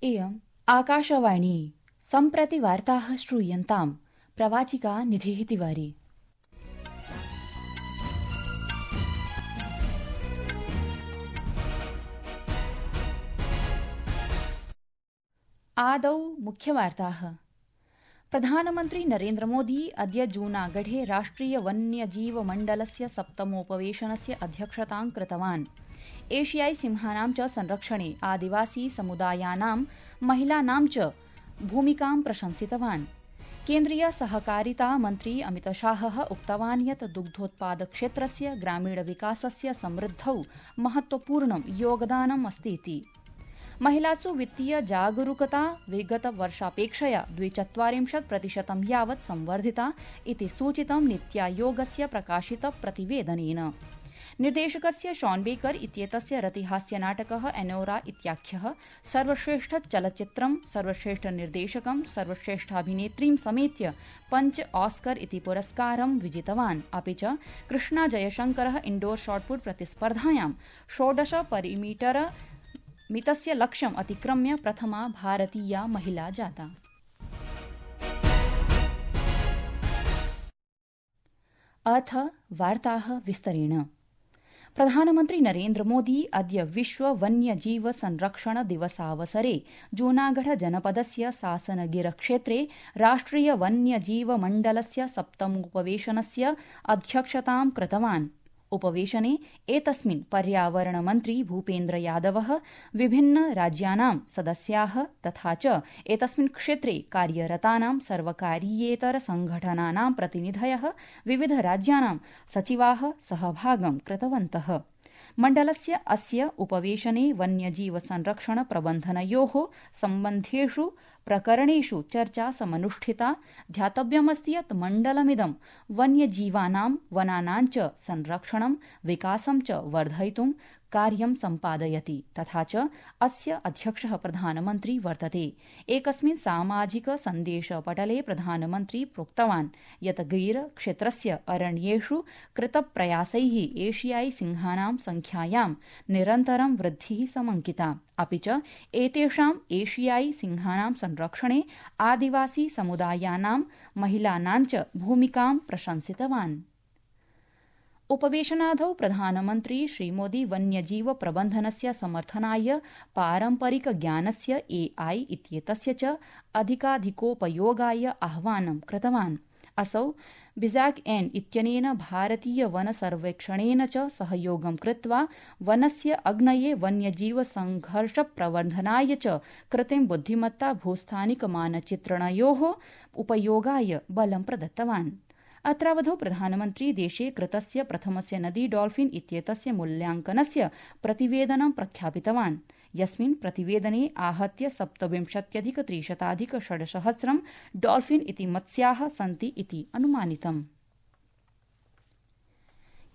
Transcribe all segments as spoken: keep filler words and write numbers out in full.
इयम् आकाशवाणी सम्प्रति वार्ताः श्रूयन्ताम् प्रवाचिका निधिः तिवारी। आदौ मुख्यवार्ताः। प्रधानमन्त्री नरेन्द्र मोदी अद्य जूनागढे राष्ट्रिय वन्यजीव मण्डलस्य सप्तमोपवेशनस्य अध्यक्षतां कृतवान्। एशियाई सिंहानां च संरक्षणे आदिवासी समुदायानां महिलानां च भूमिकां प्रशंसितवान्। केन्द्रीय सहकारिता मन्त्री अमितशाहः उक्तवान् यत् दुग्धोत्पादक्षेत्रस्य ग्रामीणविकासस्य समृद्धौ महत्वपूर्णं योगदानम् अस्तीति। महिलासु वित्तीय जागरूकता विगतवर्षापेक्षया द्विचत्वारिंशत् प्रतिशतं यावत् संवर्धिता इति सूचितं नीत्यायोगस्य प्रकाशित प्रतिवेदनेन। निर्देशकस्य शॉन बेकर इत्येतस्य रतिहास्यनाटकः एनोरा इत्याख्यः सर्वश्रेष्ठ चलच्चित्रं, सर्वश्रेष्ठ निर्देशकं, सर्वश्रेष्ठाभिनेत्रीं समेत्य पञ्च ऑस्कर इति पुरस्कारं विजितवान्। अपि च कृष्णा जयशंकरः इण्डोर शॉटपुट प्रतिस्पर्धायां षोडश परिमीटर मितस्य लक्ष्यम् अतिक्रम्य प्रथमा भारतीया महिला जाता। अथ वार्ताः विस्तरेण। प्रधानमन्त्री नरेन्द्र मोदी अद्य विश्व वन्यजीव संरक्षण दिवसावसरे जूनागढ़ जनपदस्य सासनगिर क्षेत्रे राष्ट्रिय वन्यजीव मण्डलस्य सप्तमोपवेशनस्य अध्यक्षतां कृतवान्। उपवेशने एतस्मिन् पर्यावरण मन्त्री भूपेन्द्र यादवः, विभिन्न राज्यानां सदस्याः तथा च एतस्मिन् क्षेत्रे कार्यरतानां सर्वकारीयेतर संघटनानां प्रतिनिधयः, विविध राज्यानां सचिवाः सहभागं कृतवन्तः। मण्डलस्य अस्य उपवेशने वन्यजीव संरक्षण प्रबन्धनयोः सम्बन्धेषु प्रकरणेषु चर्चा समनुष्ठिता। ध्यातव्यमस्ति यत् मण्डलमिदं वन्यजीवानां वनानां च संरक्षणं विकासं च वर्धयितुं कार्यं सम्पादयति तथा च अस्य अध्यक्षः प्रधानमन्त्री वर्तते। एकस्मिन् सामाजिक सन्देशपटले प्रधानमन्त्री प्रोक्तवान् यत् गिर क्षेत्रस्य अरण्येषु कृतप्रयासैः एशियाई सिंहानां संख्यायां निरन्तरं वृद्धिः समङ्किता। अपि च एतेषां एशियाई सिंहानां संरक्षणे आदिवासी समुदायानां महिलानां च भूमिकां प्रशंसितवान्। उपवेशनादौ प्रधानमन्त्री श्रीमोदी वन्यजीव प्रबन्धनस्य समर्थनाय पारम्परिक ज्ञानस्य एआई इत्येतस्य च अधिकाधिकोपयोगाय आह्वानं कृतवान्। असौ बिजैक एन इत्यनेन भारतीय वन सर्वेक्षणेन च सहयोगं कृत्वा वनस्य अग्नये वन्यजीव संघर्ष प्रवर्धनाय च कृत्रिम बुद्धिमत्ता भूस्थानिक मानचित्रणयोः उपयोगाय बलं प्रदत्तवान्। अत्रावधौ प्रधानमन्त्री देशे कृतस्य प्रथमस्य नदी डॉल्फिन इत्येतस्य मूल्यांकनस्य प्रतिवेदनं प्रख्यापितवान्, यस्मिन् प्रतिवेदने आहत्य सप्तविंशत्यधिक त्रिशताधिक षड्सहस्रं डॉल्फिन इति मत्स्याः सन्ति इति अनुमानितम्।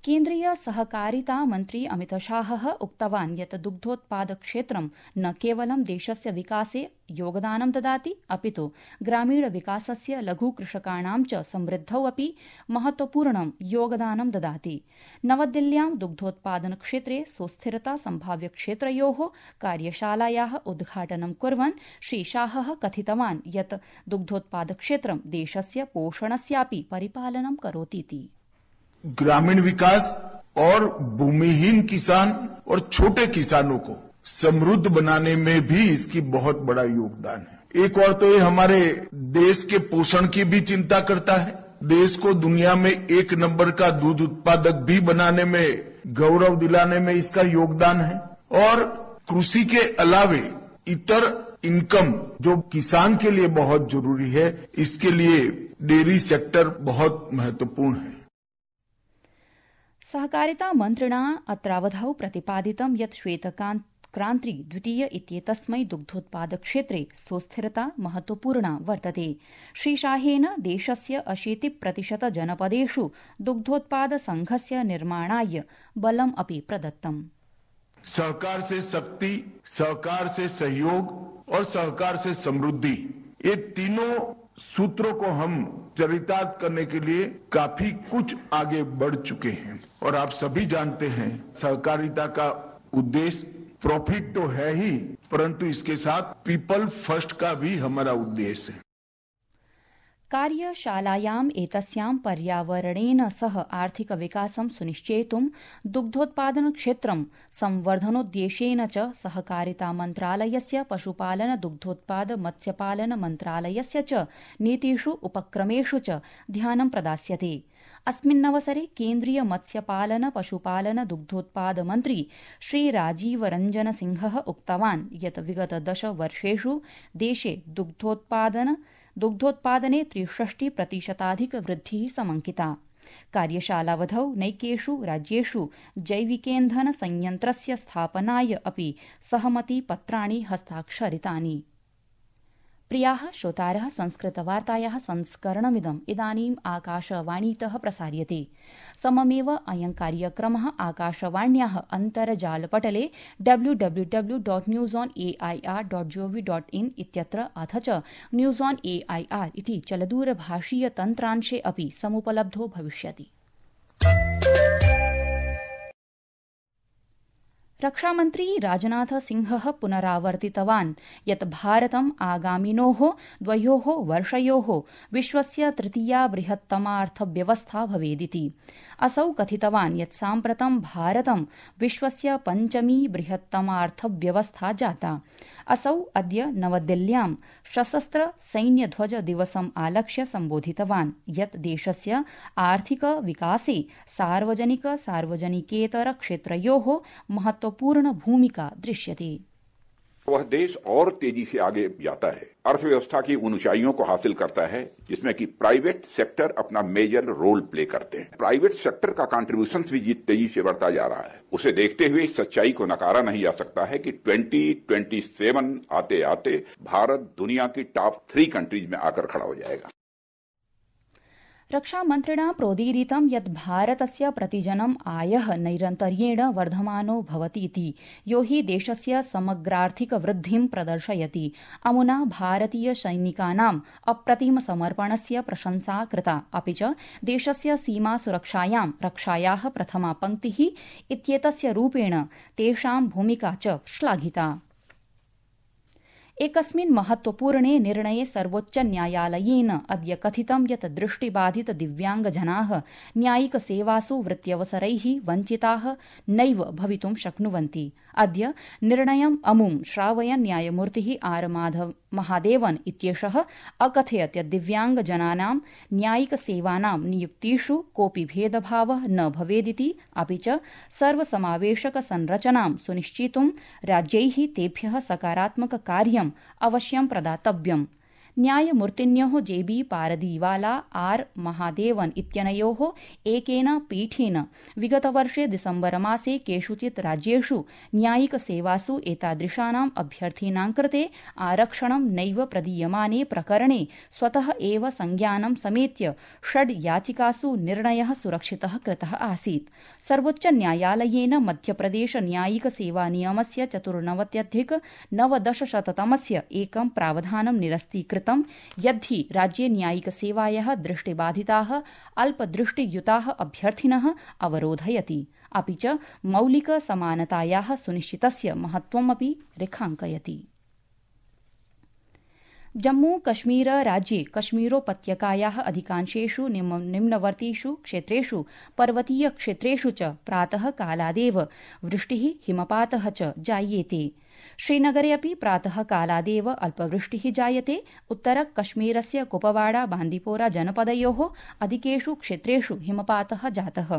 केन्द्रीय सहकारिता मन्त्री अमितशाहः उक्तवान् यत् दुग्धोत्पादक्षेत्रं न केवलं देशस्य विकासे योगदानं ददाति, अपितु ग्रामीण विकासस्य लघुकृषकाणां च समृद्धौ अपि महत्वपूर्णं योगदानं ददाति। नवदिल्ल्यां दुग्धोत्पादनक्षेत्रे सुस्थिरता सम्भाव्यक्षेत्रयोः कार्यशालायाः उद्घाटनं कुर्वन् श्रीशाहः कथितवान् यत् दुग्धोत्पादक्षेत्रं देशस्य पोषणस्यापि परिपालनं करोतीति। ग्रामीण विकास और भूमिहीन किसान और छोटे किसानों को समृद्ध बनाने में भी इसकी बहुत बड़ा योगदान है। एक और तो ये हमारे देश के पोषण की भी चिंता करता है, देश को दुनिया में एक नंबर का दूध उत्पादक भी बनाने में, गौरव दिलाने में इसका योगदान है। और कृषि के अलावे इतर इनकम जो किसान के लिए बहुत जरूरी है, इसके लिए डेयरी सेक्टर बहुत महत्वपूर्ण है। सहकारिता मन्त्रिणा अत्रावधौ प्रतिपादितं यत् श्वेतक्रान्ति द्वितीय इत्येतस्मै दुग्धोत्पादक्षेत्रे सुस्थिरता महत्वपूर्णा वर्तते। श्रीशाहेन देशस्य अशीति प्रतिशत जनपदेषु दुग्धोत्पाद संघस्य निर्माणाय बलम् अपि प्रदत्तम्। सहकार से शक्ति, सहकार से सहयोग और सहकार से समृद्धि, ये तीनों सूत्रों को हम चरितार्थ करने के लिए काफी कुछ आगे बढ़ चुके हैं। और आप सभी जानते हैं सहकारिता का उद्देश्य प्रॉफिट तो है ही, परंतु इसके साथ पीपल फर्स्ट का भी हमारा उद्देश्य है। कार्यशालायाम् एतस्यां पर्यावरणेन सह आर्थिकविकासं सुनिश्चेतुं दुग्धोत्पादन क्षेत्रं संवर्धनोद्देश्येन च सहकारिता मन्त्रालयस्य पशुपालन दुग्धोत्पाद मत्स्यपालन मन्त्रालयस्य च नीतिषु उपक्रमेषु च ध्यानं प्रदास्यते। अस्मिन्नवसरे केन्द्रीय मत्स्यपालन पशुपालन दुग्धोत्पाद मन्त्री श्री राजीव रंजन सिंहः उक्तवान् यत् विगत दश वर्षेषु देशे दुग्धोत्पादन दुग्धोत्पादने त्रिषष्टि प्रतिशताधिक वृद्धिः समंकिता। कार्यशालावधौ नैकेषु राज्येषु जैविकेन्धन संयन्त्रस्य स्थापनाय अपि सहमतिपत्राणि हस्ताक्षरितानि। प्रियाः श्रोतारः, संस्कृतवार्तायाः संस्करणमिदम् इदानीम् आकाशवाणीतः प्रसार्यते। सममेव अयं कार्यक्रमः आकाशवाण्याः अन्तर्जालपटले W W W dot news on A I R dot GOV dot in इत्यत्र अथ च news on A I R इति चलदूरभाषीय तन्त्रांशे अपि समुपलब्धो भविष्यति। रक्षामन्त्री राजनाथ सिंहः पुनरावर्तितवान् यत् भारतम् आगामिनोः द्वयोः वर्षयोः विश्वस्य तृतीया बृहत्तमार्थव्यवस्था भवेदिति। असौ कथितवान् यत् साम्प्रतं भारतं विश्वस्य पञ्चमी बृहत्तमार्थव्यवस्था जाता। असौ अद्य नवदिल्ल्यां सशस्त्र सैन्यध्वज दिवसम् आलक्ष्य सम्बोधितवान् यत् देशस्य आर्थिक विकासे सार्वजनिक सार्वजनिकेतर क्षेत्रयोः महत्वपूर्ण भूमिका दृश्यते। वह देश और तेजी से आगे जाता है, अर्थव्यवस्था की उन ऊंचाइयों को हासिल करता है जिसमें कि प्राइवेट सेक्टर अपना मेजर रोल प्ले करते हैं। प्राइवेट सेक्टर का कंट्रीब्यूशन भी तेजी से बढ़ता जा रहा है। उसे देखते हुए इस सच्चाई को नकारा नहीं जा सकता है कि ट्वेंटी ट्वेंटी सेवन आते आते भारत दुनिया की टॉप थ्री कंट्रीज में आकर खड़ा हो जाएगा। रक्षामन्त्रिणा प्रोदीरितं यत् भारतस्य प्रतिजनम् आयः नैरन्तर्येण वर्धमानो भवतीति, यो हि देशस्य समग्रार्थिक वृद्धिं प्रदर्शयति। अमुना भारतीय सैनिकानाम् अप्रतिम समर्पणस्य प्रशंसा कृता, अपि च देशस्य सीमा सुरक्षायां रक्षायाः प्रथमा पंक्तिः इत्येतस्य रूपेण तेषां भूमिका च श्लाघिता। एकस्मिन् महत्वपूर्णे निर्णये सर्वोच्चन्यायालयेन अद्य कथितं यत् दृष्टिबाधित दिव्याङ्गजनाः न्यायिकसेवासु वृत्त्यवसरैः वञ्चिताः नैव भवितुं शक्नुवन्ति। अद्य निर्णयम् अमुं श्रावयन् न्यायमूर्तिः आर माधव महादेवन इत्येषः अकथयत् यत् दिव्याङ्गजनानां न्यायिकसेवानां नियुक्तिषु कोऽपि भेदभावः न भवेदिति, अपि च सर्वसमावेशक संरचनां सुनिश्चेतुं राज्यैः तेभ्यः सकारात्मक कार्यम् अवश्यं प्रदातव्यम्। न्यायमूर्तिन्योः जेबी पारदीवाला आर महादेवन इत्यनयोः एकेन पीठेन विगतवर्षे दिसम्बरमासे केषुचित् राज्येषु न्यायिकसेवासु एतादृशानाम् अभ्यर्थीनां कृते आरक्षणं नैव प्रदीयमाने प्रकरणे स्वतः एव संज्ञानं समेत्य षड् याचिकासु निर्णयः सुरक्षितः कृतः आसीत्। सर्वोच्चन्यायालयेन मध्यप्रदेश न्यायिक सेवानियमस्य चतुर्नवत्यधिक नवदशशततमस्य एकं प्रावधानं निरस्तीकृतम् यद्धि राज्ये न्यायिक सेवायाः दृष्टिबाधिताः अल्पदृष्टियुताः अभ्यर्थिनः अवरोधयति, अपि च मौलिक समानतायाः सुनिश्चितस्य महत्त्वमपि रेखाङ्कयति। जम्मू कश्मीर राज्ये कश्मीरोपत्यकायाः अधिकांशेषु निम्नवर्तीषु क्षेत्रेषु पर्वतीय क्षेत्रेषु च प्रातः कालादेव वृष्टिः हिमपातः च जायेते। श्रीनगरे अपि प्रातः कालादेव अल्पवृष्टिः जायते। उत्तर कश्मीरस्य कुपवाड़ा बांदीपोरा जनपदयोः अधिकेषु क्षेत्रेषु हिमपातः जातः।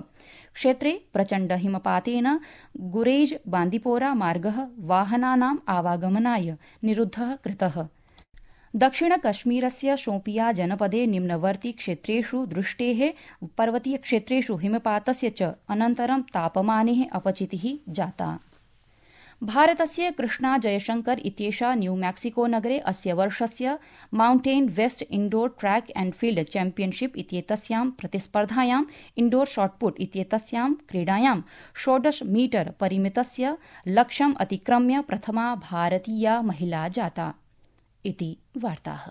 क्षेत्रे प्रचण्ड हिमपातेन गुरेज बांदीपोरा मार्गः वाहनानाम् आवागमनाय निरुद्धः कृतः। दक्षिण कश्मीरस्य शोपिया जनपदे निम्नवर्ती क्षेत्रेषु दृष्टेः पर्वतीय क्षेत्रेषु हिमपातस्य च अनन्तरं तापमाने अपचितिः जाता। भारतस्य कृष्णा जयशंकर इत्येषा न्यू मैक्सिको नगरे अस्य वर्षस्य Mountain West Indoor Track and Field Championship इत्येतस्यां प्रतिस्पर्धायां इण्डोर शॉटपुट इत्येतस्यां क्रीडायां षोडश मीटर परिमितस्य लक्ष्यम् अतिक्रम्य प्रथमा भारतीया महिला जाता। इति वार्ताः।